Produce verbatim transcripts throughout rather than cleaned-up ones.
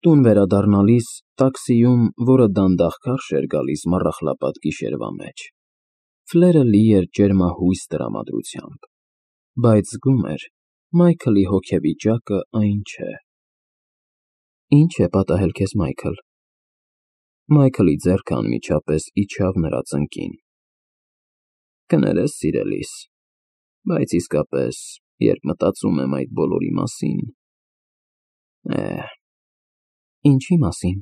Տուն վերադառնալիս տաքսիում, որը դանդաղ քարշ էր գալիս մառախլապատ գիշերվա մեջ, Ֆլերը լի էր ջերմահույս տրամադրությամբ, բայց զգում էր Մայքլի հոգեվիճակը այն չէ։ Ի՞նչ է պատահել քեզ, Մայքլ։ Մայքլի ձեռքը անմիջապես իջավ նրա ծնկին։ Կներես, սիրելիս, բայց իսկապես, երբ մտածում եմ այդ բոլորի մասին… Է, ինչի մասին։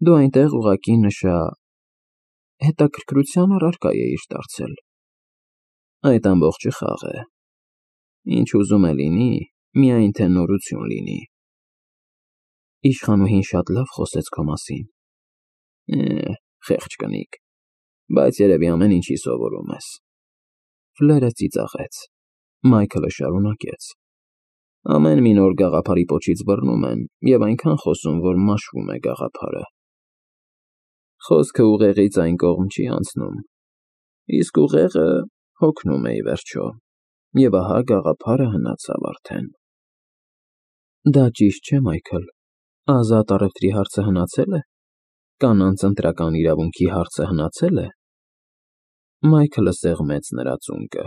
Դու այնտեղ ուղղակի նշա… հետաքրքրության առարկա էիր դարձել։ Այդ ամբողջը խաղ է։ Ինչ ուզում է լինի, միայն թե նորություն լինի։ Իշխանուհին շատ լավ խոսեց քո մասին։ Է, խեղճ կնիկ, բայց երևի ամեն ինչի սովորում ես։ Ֆլերը ծիծաղեց։ Մայքլը շարունակեց. Ամեն մի նոր գաղափարի պոչից բռնում են և այնքան խոսում, որ մաշվում է գաղափարը։ Խոսքը ուղեղից այն կողմ չի անցնում, իսկ ուղեղը հոգնում է ի վերջո, և ահա գաղափարը հնացավ արդեն։ Դա ճիշտ չէ, Մայքլ, ազատ առևտրի հարցը հնացել է։ Կանանց ընտրական իրավունքի հարցը հնացել է։ Մայքլը սեղմեց նրա ծունկը։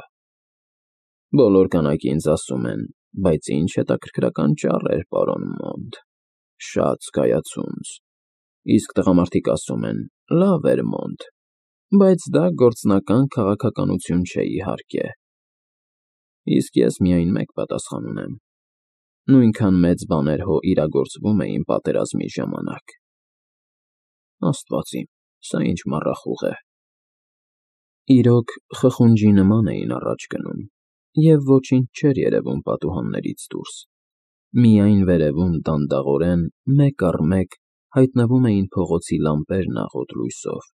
Բոլոր կանայք ինձ ասում են, բայց ինչ հետաքրքրական ճառ էր, պարոն Մոնտ, շատ զգայացունց, իսկ տղամարդիկ ասում են, լավ էր, Մոնտ, բայց դա գործնական քաղաքականություն չէ, իհարկե։ Իսկ ես միայն մեկ պատասխան ունեմ. նույնքան մեծ բաներ հո իրագործվում էին պատերազմի ժամանակ։ Աստված իմ, սա ինչ մառախուղ է։ Իրոք, խխունջի նման էին առաջ գնում, և ոչինչ չէր երևում պատուհաններից դուրս, միայն վերևում դանդաղորեն, մեկ առ մեկ հայտնվում էին փողոցի լամպերն աղոտ լույսով։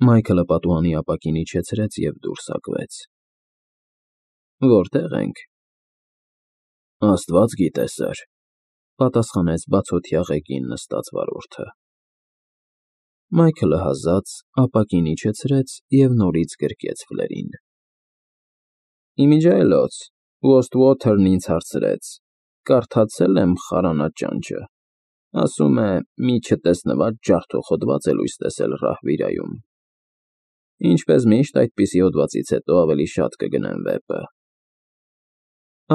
Մայքլը պատուհանի ապակին իջեցրեց և դուրս հագվեց։ Որտե՞ղ ենք։ Աստված գիտե, սըր, պատասխանեց բացօթյա ղեկին նստած վարորդը։ Մայքլը հազաց ապակին իջեցրեց և նորից գրկեց Ֆլերին։ Իմիջիայլոց, Ուոսթվոթերն ինձ հարցրեց, կարդացե՞լ եմ խարանա ճանճը, ասում է, մի չտեսնված ջարդող հոդված է լույս տեսել Ռահվիրայում։ Ինչպես միշտ, այդպիսի հոդվածից հետո ավելի շատ կգնեմ վեպը։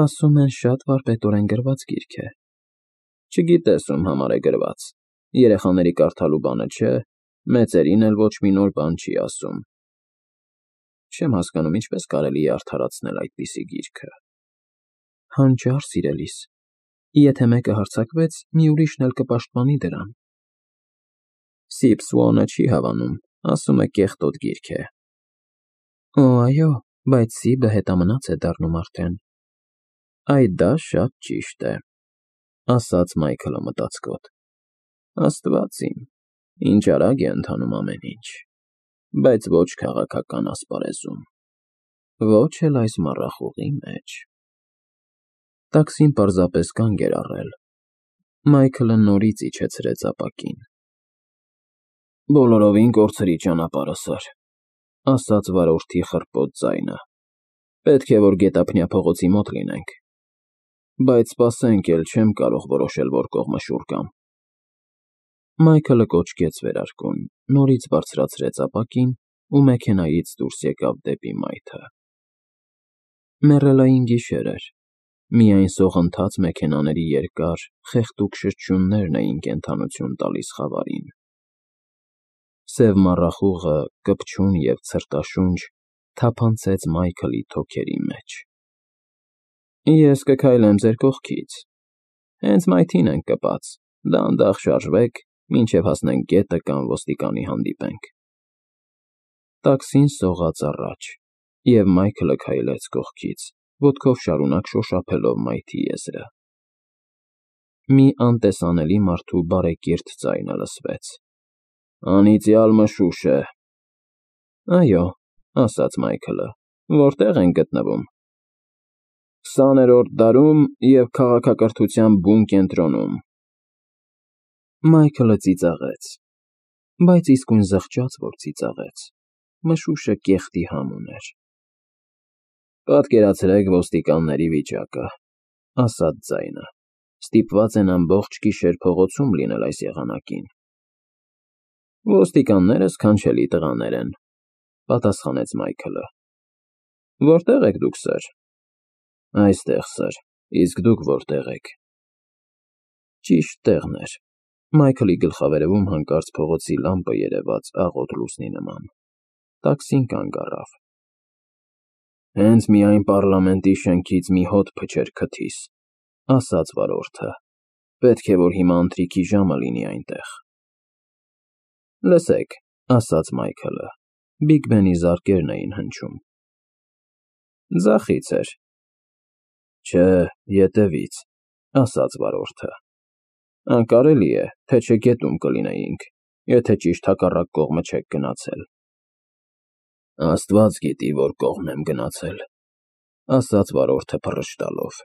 Ասում են, շատ վարպետորեն գրված գիրք է։ Չգիտես, ում համար է գրված, երեխաների կարդալու բանը չէ, մեծերին էլ ոչ մի նոր բան չի ասում։ Չեմ հասկանում, ինչպես կարելի է արդարացնել այդպիսի գիրքը։ Հանճար, սիրելիս, եթե մեկը հարձակվեց, մի ուրիշն էլ կպաշտպանի դրան։ Սիփսուոնը չի հավանում, ասում է կեղտոտ գիրք է։ Օ, այո, բայց Սիբը հետամնաց է դառնում արդեն։ Այդ դա շատ ճիշտ է, ասաց Մայքլը մտածկոտ։ Աստված իմ, ինչ արագ է ընթանում ամեն ինչ, բայց ոչ քաղաքական ասպարեզում, ոչ էլ այս մառախուղի մեջ։ Տաքսին պարզապես կանգ էր առել։ Մայքլը նորից իջեցրեց ապակին։ Բոլորովին կորցրի ճանապարհը, սըր, ասաց վարորդի խռպոտ ձայնը։ Պետք է, որ գետափնյա փողոցի մոտ լինենք։ Բայց սպասենք էլ, չեմ կարող որոշել, որ կողմը շուռ գամ։ Մայքլը կոչկեց վերարկուն, նորից բարձրացրեց ապակին ու մեքենայից դուրս եկավ դեպի մայթը։ Մեռելային գիշեր էր, միայն սողընթաց մեքենաների երկար, խեղդուկ շրջություններն էին կենդանություն տալիս խավարին։ Սև մառախուղը, կպչուն և ցրտաշունչ, թափանցեց Մայքլի թոքերի մեջ։ Ես կքայլեմ ձեր կողքից։ Հենց մայթին ենք կպած, դանդաղ շարժվեք, մինչև հասնենք գետը կամ ոստիկանի հանդիպենք։ Տաքսին սողաց առաջ, և Մայքլը քայլեց կողքից, ոտքով շարունակ շոշափելով մայթի եզրը։ Մի անտեսանելի մարդու բարեկիրթ ձայնը լսվեց. Անիծյալ մշուշ է։ Այո, ասաց Մայքլը, որտե՞ղ ենք գտնվում։ Քսաներորդ դարում և քաղաքակրթության բուն կենտրոնում։ Մայքլը ծիծաղեց, բայց իսկույն զղջաց, որ ծիծաղեց, մշուշը կեղտի համ ուներ։ Պատկերացրեք ոստիկանների վիճակը, ասաց ձայնը։ Ստիպված են ամբողջ գիշեր փողոցում լինել այս եղանակին։ Ոստիկանները սքանչելի տղաներ են, պատասխանեց Մայքլը։ Որտե՞ղ եք դուք, սըր։ Այստեղ, սըր, իսկ դուք որտեղ եք։ Ճիշտ տեղն էր։ Մայքլի գլխավերևում հանկարծ փողոցի լամպը երևաց աղոտ լուսնի նման։ Տաքսին կանգ առավ։ Հենց միայն պառլամենտի շենքից մի հոտ փչեր քթիս, ասաց վարորդը։ Պետք է որ հիմա ընթրիքի ժամը լինի այնտեղ։ Լսեք, ասաց Մայքլը, Բիգ Բենի զարկերն էին հնչում։ Ձախից էր։ Չէ, ետևից, ասաց վարորդը։ Անկարելի է, թե չէ գետում կլինեինք, եթե ճիշտ հակառակ կողմը չեք գնացել։ Աստված գիտի, որ կողմն եմ գնացել, ասաց վարորդը փռշտալով։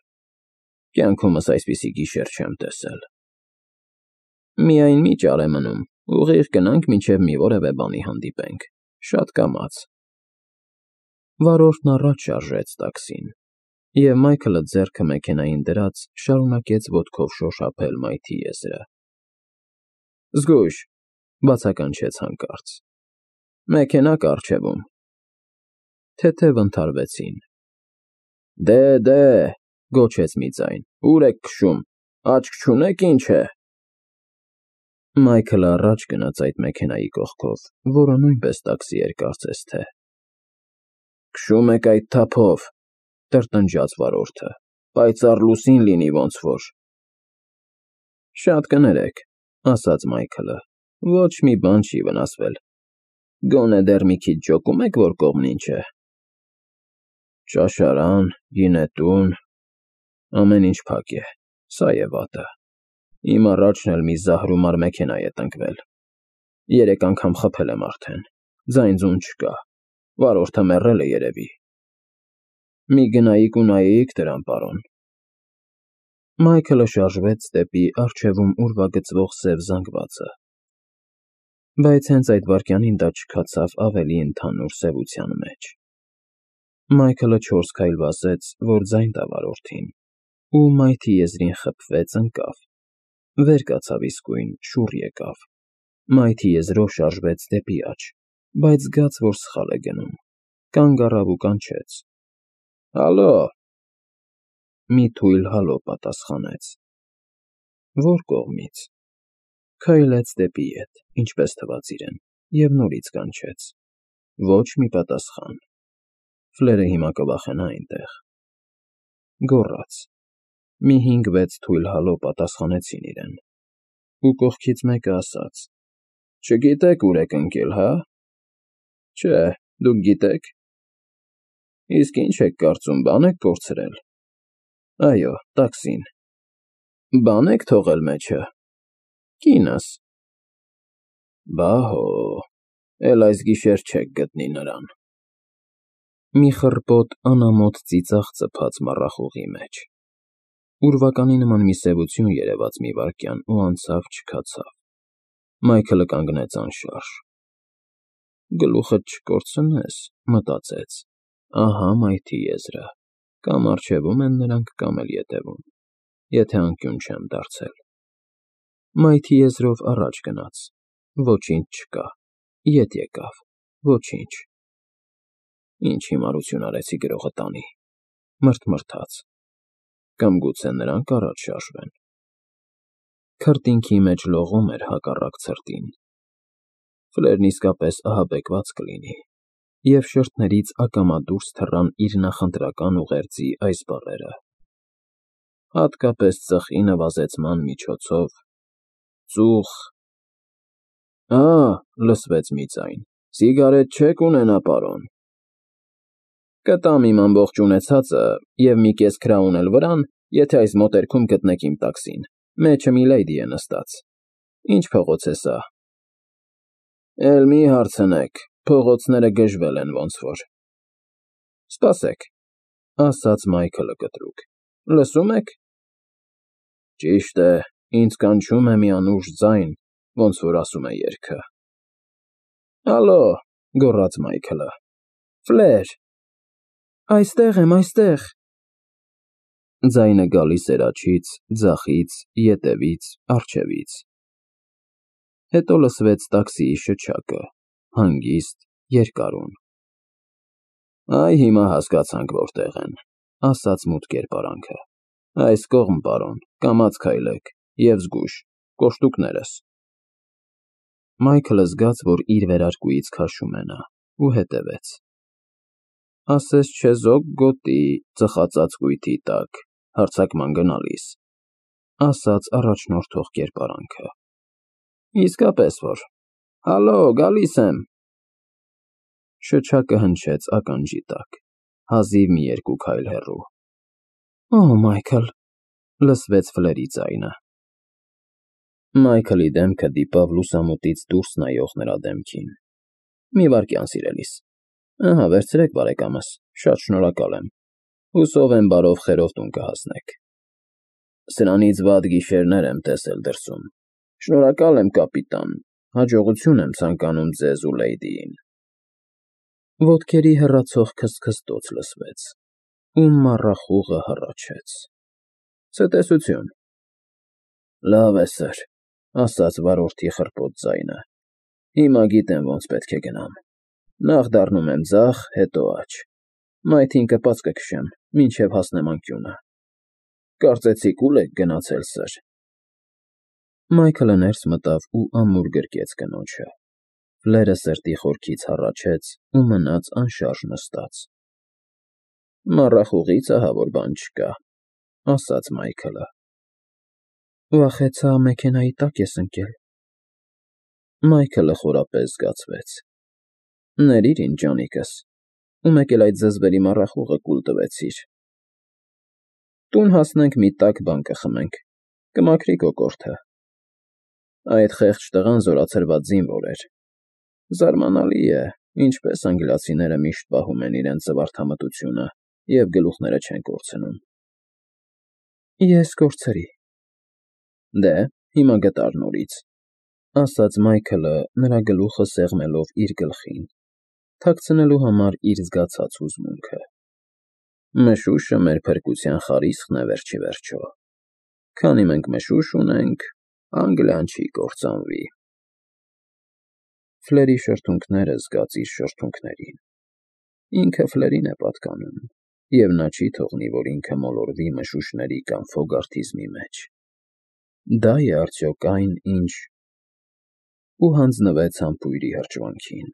Կյանքումս այսպիսի գիշեր չեմ տեսել։ Միայն մի ճար է մնում, ուղիղ գնանք, մինչև մի որևէ բանի հանդիպենք, շատ կամաց։ Վարորդն առաջ շարժեց տաքսին, և Մայքլը ձեռքը մեքենային դրած շարունակեց ոտքով շոշափել մայթի եզրը։ Զգույշ, բացականչեց հանկարծ։ Մեքենա կա առջևում։ Թեթև ընդհարվեցին։ Դե, դե, գոչեց մի ձայն, ուր եք քշում, աչք չունեք ինչ է։ Մայքլը առաջ գնաց այդ մեքենայի կողքով, որը նույնպես տաքսի էր կարծես թե։ Քշում եք այդ թափով, տրտնջաց վարորդը, պայծառ լուսին լինի ոնց որ։ Շատ կներեք, ասաց Մայքլը, ոչ մի բան չի վնասվել։ Գոնե դեռ մի քիչ ջոկում եք, որ կողմն ինչ է։ Ճաշարան, գինետուն, ամեն ինչ փակ է, սա է վատը։ Իմ առաջն էլ մի զահրումար մեքենա է տնկվել։ Երեք անգամ խփել եմ արդեն, ձայն-ձուն չկա, վարորդը մեռել է երևի։ Մի գնայիք ու նայեիք դրան, պարոն։ Մայքլը շարժվեց դեպի առջևում ուրվագծվող սև զանգվածը։ Բայց հենց այդ վայրկյանին դա չքացավ ավելի ընդհանուր սևության մեջ։ Մայքլը չորս քայլ վազեց, որ ձայն տա վարորդին, ու մայթի եզրին խփվեց, ընկավ, վեր կացավ իսկույն, շուռ եկավ, մայթի եզրով շարժվեց դեպի աջ, բայց զգաց, որ սխալ է գնում, կանգ առավ ու կանչեց. Հալո։ Մի թույլ հալո պատասխանեց։ Որ կողմից։ Քայլեց դեպի ետ, ինչպես թվաց իրեն, և նորից կանչեց։ Ոչ մի պատասխան։ Ֆլերը հիմա կվախենա այնտեղ։ Գոռաց։ Մի հինգ֊վեց թույլ հալո պատասխանեցին իրեն։ Ու կողքից մեկը ասաց. Չգիտեք ուր եք ընկել, հա։ Չէ, դուք գիտեք։ Իսկ ինչ եք կարծում, բան եք կորցրել։ Այո, տաքսին։ Բան եք թողել մեջը։ Կինս։ Բա հո, էլ այս գիշեր չեք գտնի նրան։ Մի խռպոտ անամոթ ծիծաղ ծփաց մառախուղի մեջ։ Ուրվականի նման մի սևություն երևաց մի վայրկյան ու անցավ չքացավ։ Մայքլը կանգնեց անշարժ։ Գլուխդ չկորցնես, մտածեց, ահա մայթի եզրը, կամ առջևում են նրանք, կամ էլ ետևում, եթե անկյուն չեմ դարձել։ Մայթի եզրով առաջ գնաց, ոչինչ չկա, ետ եկավ, ոչինչ։ Ինչ հիմարություն արեցի գրողը տանի, մրթմրթաց, կամ գուցե նրանք առաջ շարժվեն։ Քրտինքի մեջ լողում էր հակառակ ցրտին։ Ֆլերն իսկապես ահաբեկված կլինի, և շրթներից ակամա դուրս թռան իր նախընտրական ուղերձի այս բառերը. հատկապես ծխի նվազեցման միջոցով, ծուխ… Ա, լսվեց մի ձայն, սիգարետ չեք ունենա, պարոն։ Կտամ իմ ամբողջ ունեցածը և մի կես քրաուն էլ վրան, եթե այս մոտերքում գտնեք իմ տաքսին, մեջը մի լեյդի է նստած։ Ինչ փողոց է սա։ Էլ մի հարցնեք, փողոցները գժվել են ոնց որ։ Սպասեք, ասաց Մայքլը կտրուկ, լսում եք։ Ճիշտ է, ինձ կանչում է մի անուշ ձայն, ոնց որ ասում է երգը։ Հալո, գոռաց Մայքլը, Ֆլեր։ Այստեղ եմ, այստեղ։ Ձայնը գալիս էր աջից, ձախից, ետևից, առջևից։ Հետո լսվեց տաքսիի շչակը, հանգիստ, երկարուն։ Այ հիմա հասկացանք որտեղ են, ասաց մութ կերպարանքը։ Այս կողմ, պարոն, կամաց քայլեք, և զգույշ, կոշտուկներս։ Մայքլը զգաց, որ իր վերարկուից քաշում է նա, ու հետևեց։ Ասես չեզոք գոտի ծխածածկույթի տակ, հարձակման գնալիս, ասաց առաջնորդող կերպարանքը։ Իսկապես որ, հալո, գալիս եմ։ Շչակը հնչեց ականջի տակ, հազիվ մի երկու քայլ հեռու։ Օ, Մայքլ, լսվեց Ֆլերի ձայնը։ Մայքլի դեմքը դիպավ լուսամուտից դուրս նայող նրա դեմքին։ Մի վայրկյան, սիրելիս։ Ահա, վերցրեք, բարեկամս, շատ շնորհակալ եմ։ Հուսով եմ բարով խերով տուն կհասնեք։ Սրանից վատ գիշերներ եմ տեսել դրսում։ Շնորհակալ եմ, կապիտան, հաջողություն եմ ցանկանում ձեզ ու լեյդիին։ Ոտքերի հեռացող քստքստոց լսվեց, ու մառախուղը հառաչեց։ Ցտեսություն։ Լավ է, սըր, ասաց վարորդի խռպոտ ձայնը։ Հիմա գիտեմ ոնց պետք է գնամ։ Նախ դառնում եմ ձախ, հետո աջ։ Մայթին կպած կքշեմ, մինչև հասնեմ անկյունը։ Կարծեցիք ուլ եք գնացել, սըր։ Մայքլը ներս մտավ ու ամուր գրկեց կնոջը։ Ֆլերը սրտի խորքից հառաչեց ու մնաց անշարժ նստած։ Մառախուղից ահա որ բան չկա, ասաց Մայքլը։ Վախեցա մեքենայի տակ ես ընկել։ Մայքլը խորապես զգացվեց։ Ներիր ինձ, ջանիկս, ու մեկ էլ այդ զզվելի մառախուղը կուլ տվեցիր։ Տուն հասնենք մի տաք բան կխմենք, կմաքրի կոկորդը։ Այդ խեղճ տղան զորացրված զինվոր էր։ Զարմանալի է, ինչպես անգլիացիները միշտ պահում են իրենց զվարթամտությունը և գլուխները չեն կորցնում։ Ես կորցրի։ Դե, հիմա գտար նորից, ասաց Մայքլը, նրա գլուխը սեղմելով իր գլխին, թաքցնելու համար իր զգացած հուզմունքը։ Մշուշը մեր փրկության խարիսխն է վերջ ի վերջո։ Քանի մենք մշուշ ունենք, Անգլիան չի կործանվի։ Ֆլերի շրթունքները զգաց իր շրթունքներին։ Ինքը Ֆլերին է պատկանում, և նա չի թողնի, որ ինքը մոլորվի մշուշների կամ ֆոգարթիզմի մեջ։ Դա է արդյոք այն, ինչ… Ու հանձնվեց համբույրի հրճվանքին։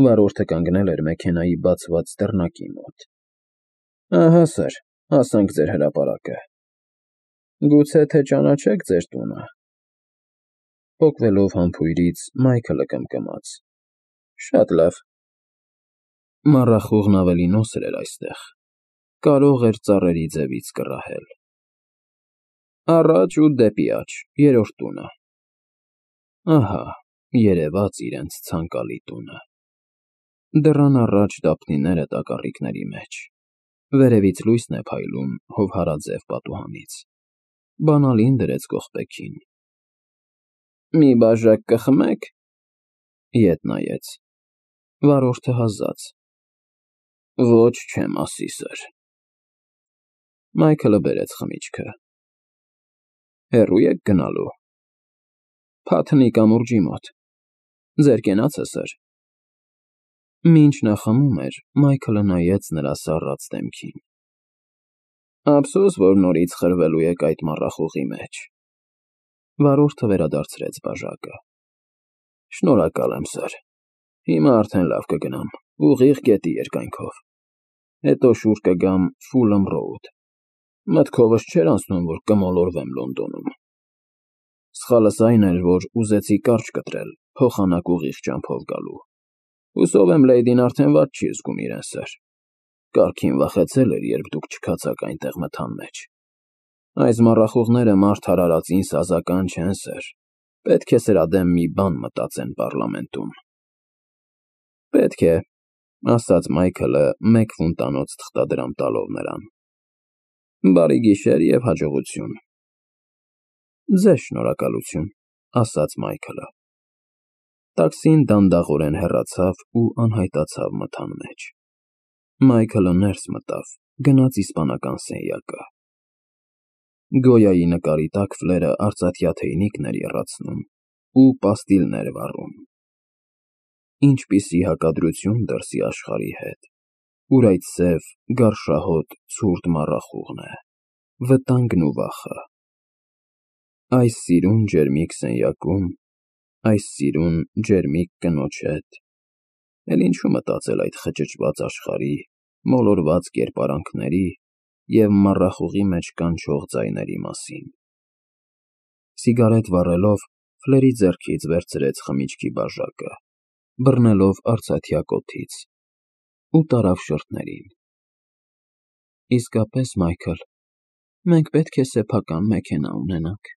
Վարորդը կանգնել էր մեքենայի բացված դռնակի մոտ։ Ահա, սըր, հասանք ձեր հրապարակը։ Գուցե թե ճանաչեք ձեր տունը։ Պոկվելով համբույրից Մայքլը կմկմաց։ Շատ լավ։ Մառախուղն ավելի նոսր էր այստեղ։ Կարող էր ծառերի ձևից կռահել։ Առաջ ու դեպի աջ, երրորդ տունը։ Ահա, երևաց իրենց ցանկալի տունը։ Դռան առաջ դափնիները տակառիկների մեջ։ Վերևից լույսն է փայլում հովհարաձև պատուհանից։ Բանալին դրեց կողպեքին։ Մի բաժակ կխմեք։ Ետ նայեց։ Վարորդը հազաց։ Ոչ չեմ ասի, սըր։ Մայքլը բերեց խմիչքը։ Հեռու եք գնալու։ Փաթնի կամուրջի մոտ։ Ձեր կենացը, սըր։ Մինչ նա խմում էր, Մայքլը նայեց նրա սառած դեմքին։ Ափսոս, որ նորից խրվելու եք այդ մառախուղի մեջ։ Վարորդը վերադարձրեց բաժակը։ Շնորհակալ եմ, սըր։ Հիմա արդեն լավ կգնամ, ուղիղ գետի երկայնքով։ Հետո շուռ կգամ Ֆուլըմ Ռոուդ։ Մտքովս չէր անցնում, որ կմոլորվեմ Լոնդոնում։ Սխալս այն էր, որ ուզեցի կարճ կտրել, փոխանակ ուղիղ ճամփով գալու։ Հուսով եմ լեյդին արդեն վատ չի զգում իրեն, սըր։ Կարգին վախեցել էր, երբ դուք չքացաք այնտեղ մթան մեջ։ Այս մառախուղները մարդ արարածին սազական չեն, սըր։ Պետք է սրա դեմ մի բան մտածեն պառլամենտում։ Պետք է, ասաց Մայքլը մեկ ֆունտանոց թղթադրամ տալով նրան։ Բարի գիշեր և հաջողություն։ Ձեզ շնորհակալություն, ասաց Մայքլը։ Տաքսին դանդաղորեն հեռացավ ու անհայտացավ մթան մեջ։ Մայքլը ներս մտավ, գնաց իսպանական սենյակը։ Գոյայի նկարի տակ Ֆլերը արծաթյա թեյնիկն էր եռացնում ու պաստիլներ վառում։ Ինչպիսի հակադրություն դրսի աշխարհի հետ, ուր այդ սև, գարշահոտ, ցուրտ մառախուղն է, վտանգն ու վախը։ Այս սիրուն ջերմիկ սենյակում, այս սիրուն ջերմիկ կնոջ հետ, էլ ինչու մտածել այդ խճճված աշխարհի, մոլորված կերպարանքների և մառախուղի մեջ կանչող ձայների մասին։ Սիգարետ վառելով՝ Ֆլերի ձեռքից վերցրեց խմիչքի բաժակը, բռնելով արծաթյա կոթից, ու տարավ շրթներին։ Իսկապես, Մայքլ, մենք պետք է սեփական մեքենա ունենանք։